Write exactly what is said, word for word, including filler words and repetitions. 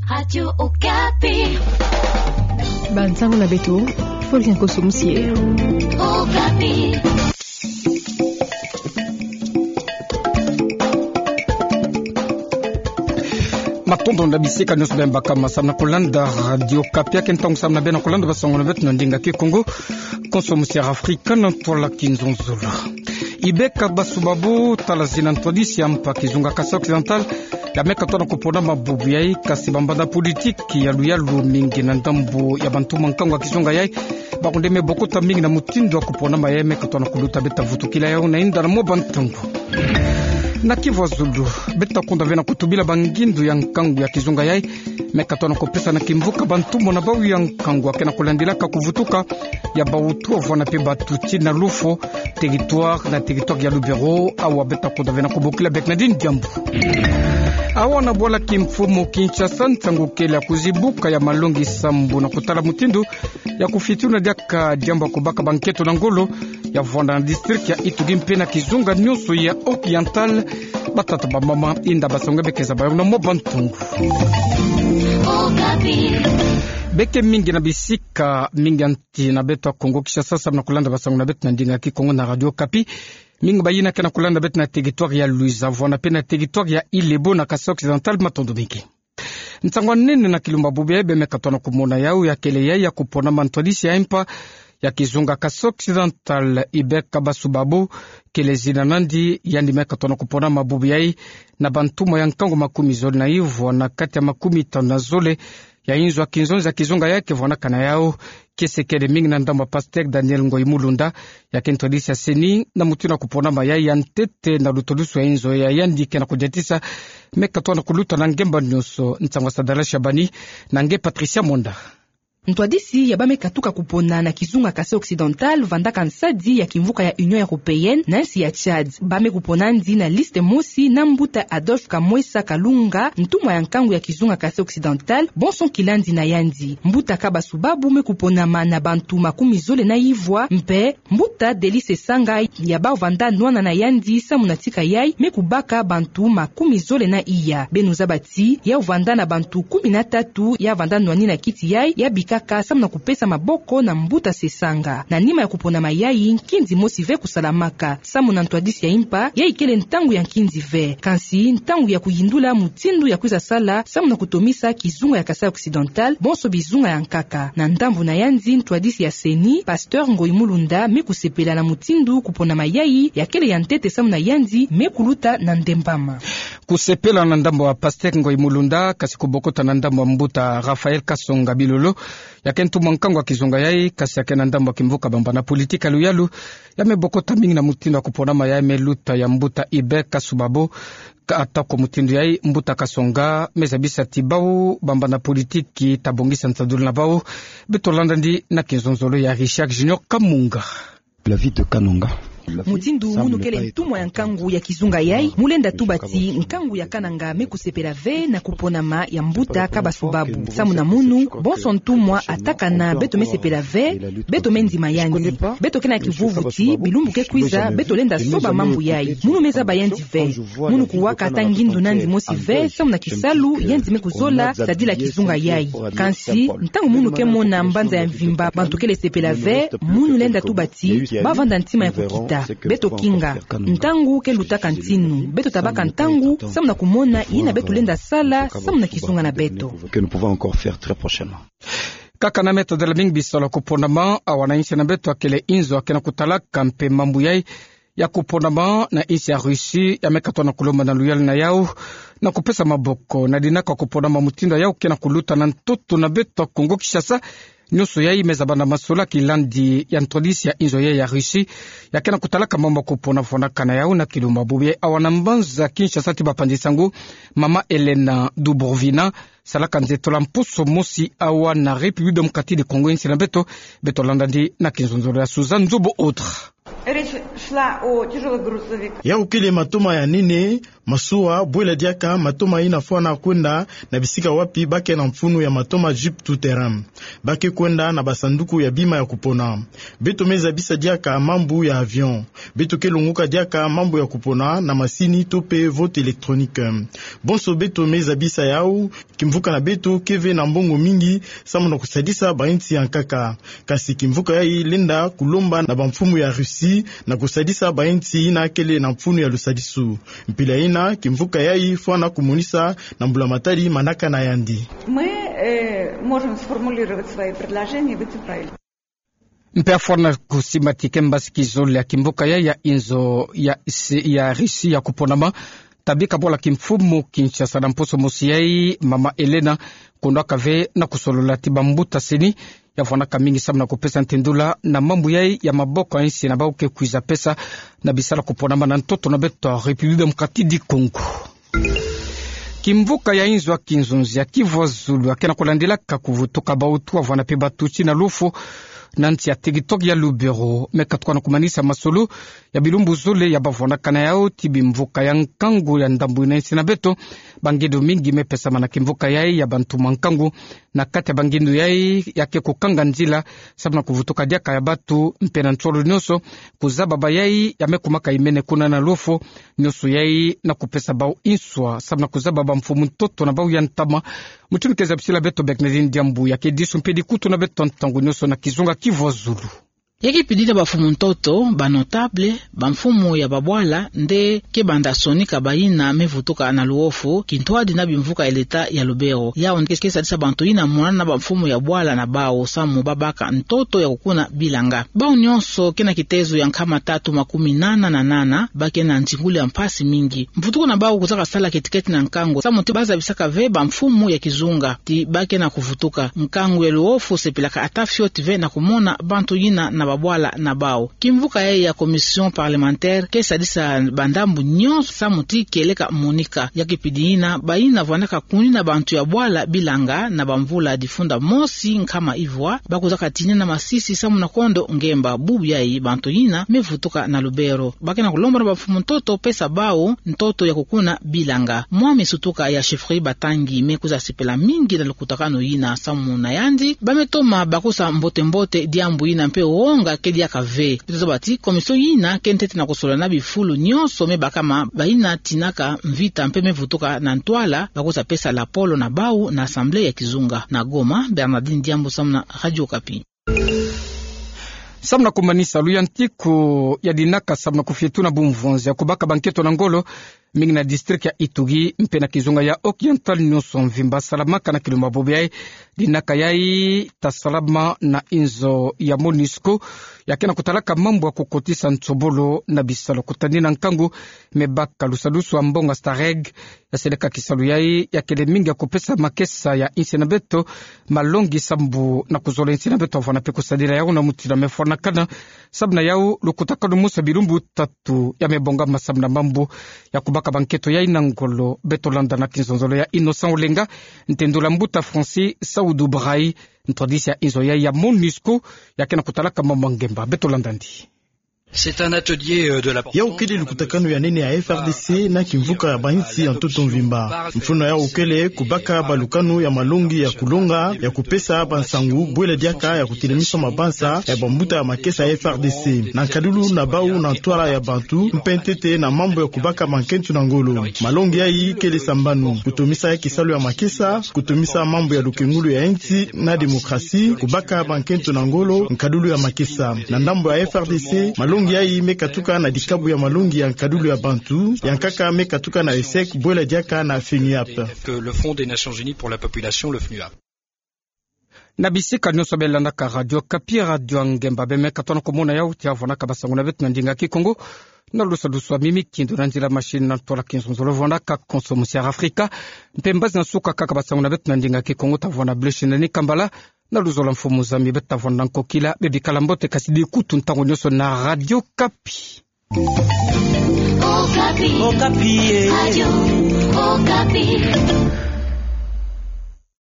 Radio Okapi. Bansango na beto, Florian Koso Musie. Okapi. Matondo na bisika nyonso bima baka ma samu na kulanda Radio Okapi. Ake ntangu samu na bê na kulanda bansango na beto na ndinga Kikongo. Konso musiara Afrika na ntwala Kinzonzolo. Ibe Kabasou-Babou, tala zina ntwadisi ya mpa kizunga Kasaï Occidental, ya meka tona kupona ma bubu yai, kasi bambanda politiki ya luyalu mingi na ndambu ya bantu ma nkangu ya kizunga yai, bakunde me bokota mingi na mutindu ya kupona ma yai meka tona kuluta. Beta vutukila yau na inda na mwa bantangu. Na Kivu ya Zulu, beta kunda ve na kutubila bangindu ya nkangu ya kizunga yai, meka tona kupesa na kimvuka bantu mona bau ya nkangu ya ke na kulandilaka kuvutuka ya bautu avwanda pe batuti na Lufo, territoire na territoire ya Lubero. Awa beta kunda ve na kubokila beka na dini diambu. Awa na bwala kimfumu Kinshasa, nsangu kele ya kuzibuka ya malongi sambu na kutala mutindu ya kufituna diaka diambu ya kubaka bankento na ngolo ya vwanda na district ya Ituri mpe na kizunga nyonso ya Oriental. Batata bamama, inda bansango beke zaba yau na mwa bantangu. Beke mingi na bisika mingi ya nsi na beto ya Kongo Kinshasa samu na kulanda bansango na beto na ndinga Kikongo na Radio Okapi. Mingi bayina ke na kulanda beto na territoire ya Luiza, vwanda pe na territoire ya Ilebo na Kasaï Occidental, matondo mingi. Nsangu ya nene na kilumbu bubu yai bê meka tona kumona yau ya kele yai ya kupona ma ntwadisi ya mpa ya kizunga Kasaï Occidental, Ibe Kabasou-Babou kele zina na yandi. Yandi meka tona kupona ma bubu yai na bantumwa ya nkangu makumi zole na ivwa na kati ya makumi tanu na zole ya inzo ya kinzonzi ya kizunga yai ke vwandaka na yau. Kiese kele mingi na ndambu ya Pasteur Daniel Ngoyi Mulunda, ya ke ntwadisi ya CENI, na mutindu ya kupona ma yai ya ntete na lutulusu ya inzo ya yandi ke na kudiatisa meka tona kuluta na ngemba nyonso. Nsangu ya Sadala Shabani na nge Patricia Monda. Ntwadisi ya bameka tuka kupona na kizunga Kasaï Occidental vandaka nsadi ya kimvuka ya Union Européenne na nsi ya Tchad. Bameka kupona yandi na liste mosi na mbuta Adolphe Kamwesa Kalunga, ntumwa ya nkangu ya kizunga Kasaï Occidental, bonso kilandi na yandi. Mbuta Kabasou-Babou me kuponama na bantu makumi zole na ivwa, mpe mbuta Delice Sanga ya bavanda nwana na yandi samu na tika yai me kubaka bantu makumi zole na iya. Beno zaba ti ya vanda na bantu kumi na tatu ya vanda nwani na kiti yai ya bikaka samu na kupesa maboko na mbuta Sesanga. Na nima ya kuponama yai, nkinzi mosi ve kusalamaka. Samu na ntwadisi ya mpa, yai kele ntangu ya nkinzi ve, kansi ntangu ya kuyindula mutindu ya kwiza sala samu na kutomisa kizunga ya Kasaï Occidental, bonso bizunga ya nkaka. Na ndambu na yandi, ntwadisi ya CENI, Pasteur Ngoyi Mulunda, me kusepela na mutindu kuponama yai ya kele ya ntete samu na yandi me kuluta na ndembama. Kusepela na ndambu ya Pasteur Ngoyi Mulunda, kasi kubokota na ndambu ya mbuta Raphaël Kasonga Bilolo, ya ke ntumwa nkangu ya kizunga yai, kasi ya ke na ndambu ya kimvuka bambanda politiki ya luyalu, ya me bokota mingi na mutindu ya kuponama yai me luta ya mbuta Ibe Kasou-Babou. Ka atako mutindu yai, mbuta Kasonga me zabisa ti bau bambanda politiki ta bongisa nsadulu na bau. Beto landa yandi na kinzonzolo ya Richard Junior Kamunga. La vie de Kananga. Mutindu munu kele ntumwa ya nkangu ya kizunga yai, mu lenda tuba ti nkangu ya Kananga me kusepela ve na kuponama ya mbuta Kabasou-Babou. Samu na munu, bonso ntumwa atakana, beto me sepela ve, beto me ndima yandi. Beto ke na kivuvu ti bilumbu ke kwiza, beto lenda soba mambu yai. Munu me zaba yandi ve. Munu kuwaka ata ngindu na yandi mosi ve samu na kisalu yandi me kuzola sadila kizunga yai. Kansi, ntangu munu ke mona mbanza ya mvimba bantu kele sepela ve, munu lenda tuba ti bavanda ntima ya kukita. Beto kinga. Ntangu ke lutaka ntinu. Beto tabaka ntangu samu na kumona yina beto lenda sala samu na kizunga na beto. Que nous pouvons encore faire très prochainement. Kaka na meta dela mingi bisalu ya kuponama, awa na insi na beto ya kele inzo ya ke na kutalaka mpe mambu yai ya kuponama na insi ya Russie, ya meka tona kulomba na luyalu na yau na kupesa maboko na dinaka kuponama mutindu yau ke na kuluta na ntoto na beto ya Kongo Kinshasa. Nyonso yai me zaba na masolaki landi ya ntwadisi ya inzo yai ya Russie, ya ke na kutalaka mambu ya kupona vwandaka na yau na kilumbu bubu yai. Awa na mbanza Kinshasa ti bapanzi nsangu, mama Elena Dubrovina, salaka nzetolo ya mposo mosi awa na République démocratique du Congo, insi na beto. Beto landa yandi na kinzonzolo ya Suzanne Nzubu Autre. It is Шла у тяжелый грузовик. Yau kele matoma ya nene, masuwa, bwela diaka matoma ina fwana kwenda na bisika wapi ba ke na mfunu ya matoma jeep tout-terrain. Ba ke kwenda na basanduku ya bima ya kupona. Beto me zabisa diaka mambu ya avion. Beto ke longoka diaka mambu ya kupona na masini to pe vote électronique. Bonso beto me zabisa yau, kimvuka na beto ke ve na mbongo mingi samu na kusadisa bainsi ya nkaka. Kasi kimvuka yai lenda kulomba na bamfumu ya Russie na kusadisa bainsi ina kele na mfunu ya lusadisu. Mpila ina, kimvuka yai fwana kumonisa na mbula matadi manaka na yandi. Мы, э, можем сформулировать свои предложения в эти файлы. Mpe afwana kusimbati ke mbasi kizole ya kimvuka yai ya inzo ya, ya Russie ya kuponama. Tabika bwala kimfumu Kinshasa na mposo mosi yai, mama Elena, kondo aka ve na kusolola ti bambuta seni ya fwanaka mingi samu na kupesa ntendula na mambu yai ya maboko ya insi na bau ke kwiza pesa na bisala kuponama na ntoto na beto République démocratique du Congo. Kimvuka ya inzo ya kinzonzi ya Kivu ya Zulu ya ke na kulandilaka kuvutuka bautu, avwana mpe batuti na lufo na nsi ya TikTok ya Lubero, me katuka na kumanisa masolo ya bilumbu zole ya bavwanaka na yau ti bimvuka ya nkangu ya ndambu ina insi na beto. Bangindu mingi me pesama na kimvuka yai ya bantu mwa nkangu. Na kati ya bangindu yai ya ke kukanga nzila samu na kuvutuka diaka ya batu mpe na nsolo nionso, kuzaba bayai ya me kumaka imene kuna na lufo, nionso yai na kupesa bau inswa samu na kuzaba bamfumu ntoto na bau ya ntama. Mutindu ke zabisila beto Bernardine Diambu, ya ke disu mpe dikutu na beto ntangu nionso na kizunga Kivu ya Zulu. Ya ke pidila bamfumu ntoto, banotable, bamfumu ya babwala, nde ke banda sonika bayina me vutuka na luofu, kintwadi na bimvuka ya leta ya Lubero. Yau nde ke sadisa bantu yina mona na bamfumu ya bwala na bau samu babaka ntoto ya kukuna bilanga. Bau nionso ke na kitezo ya nkama tatu makumi nana na nana, ba ke na nzingulu ya mpasi mingi. Mvutuka na bau kuzaka sala keti-keti na nkangu, samu ti ba zabisaka ve bamfumu ya kizunga ti ba ke na kuvutuka. Nkangu ya luofu sepelaka ata fioti ve na kumona bantu yina na babwala na bau. Kimvuka yai ya commission parlementaire ke sadisa bandambu nionso samu ti kieleka monika. Ya ke pidi yina, bayina vwandaka kunina bantu ya bwala bilanga na bamvula difunda mosi nkama ivwa, ba kuzaka tinina masisi samu na kondo ngemba. Bubu yai bantu yina me vutuka na Lubero. Ba ke na kulomba na bamfumu ntoto pesa bau ntoto ya kukuna bilanga. Mwami Sutuka ya chefferie Batangi me kwiza sepela mingi na lukutakanu yina samu na yandi, ba me toma bakisa mbote-mbote diambu yina mpe wonga ke diaka ve. Beto zaba ti commission yina ke ntete na kusolola na bifulu nionso me bakama bayina tinaka mvita mpe me vutuka na ntwala, ba kwiza pesa lapolo na bau na assemblée ya kizunga. Na Goma, Bernardine Diambu samu na Radio Okapi. Samu na kumanisa luyantiku ya dinaka samu na kufietuna bumvonzi ya kubaka bankento na ngolo, mingi na district ya Ituri mpe na kizunga ya Oriental nionso mvimba salamaka na kilumbu bobo yai. Dinaka yai ta salama na inzo ya MONUSCO, ya ke na kutalaka mambu ya kukotisa nsobolo na bisalu kutadina nkangu, me baka lusadusu ya mbonga Stareg, ya seleka kisalu yai ya kele mingi ya kupesa makesa ya insi na beto malongi sambu na kuzola insi na beto avana mpe kusadila yau na mutindu ya me fwanakana. Samu na yau, lukutakanu mosi ya bilumbu tatu ya me bongama samu na mambu ya kubaka bankento yai na ngolo. Beto landa na kinzonzolo ya Innocent Olenga, ntendula mbuta Francis Saoudou Bray, ntwadisi ya inzo yai ya MONUSCO, ya ke na kutalaka mambu ya ngemba. Beto landa ndi. C'est un atelier, euh, de la... Yau kele lukutakanu ya nene ya F R D C na kimvuka ya bainsi ya ntoto mvimba. Mfunu na yau kele kubaka balukanu ya malongi ya kulonga, ya kupesa bansangu, bwela diaka ya kutelemisa mabanza ya bambuta ya makesa ya F R D C. Na nkadulu na bau na ntwala ya bantu, mpe ntete na mambu ya kubaka bankento na ngolo. Malongi yai kele sambanu: kutomisa kisalu ya makesa, kutomisa mambu ya lukengulu ya insi na démocratie, kubaka bankento na ngolo, nkadulu ya makesa. Na ndambu ya F R D C, malongi yai me katuka na dikabu ya malongi ya nkadulu ya bantu, ya nkaka me katuka na ESSEC, bwela diaka na FENUAP. Que le Fonds des Nations Unies pour la population, le FNUAP. Na bisika nionso be landaka Radio Okapi, radio ya ngemba, be me katuka na kumona yau ti avwanaka basangu na beto na ndinga Kikongo. Na lusadusu ya mimi kindo na nzila machine na ntwala kinzonzolo vwandaka konso musi ya Afrika. Mpe mbazi na suka kaka basangu na beto na ndinga Kikongo ta vwanda, Blaise Nani Kambala, na luzolo ya mfumu zami. Beto ta vwanda nkokila, be bikala mbote, kasi dikutu ntangu nionso na Radio Okapi. Okapi. Okapi, eh. Radio Okapi.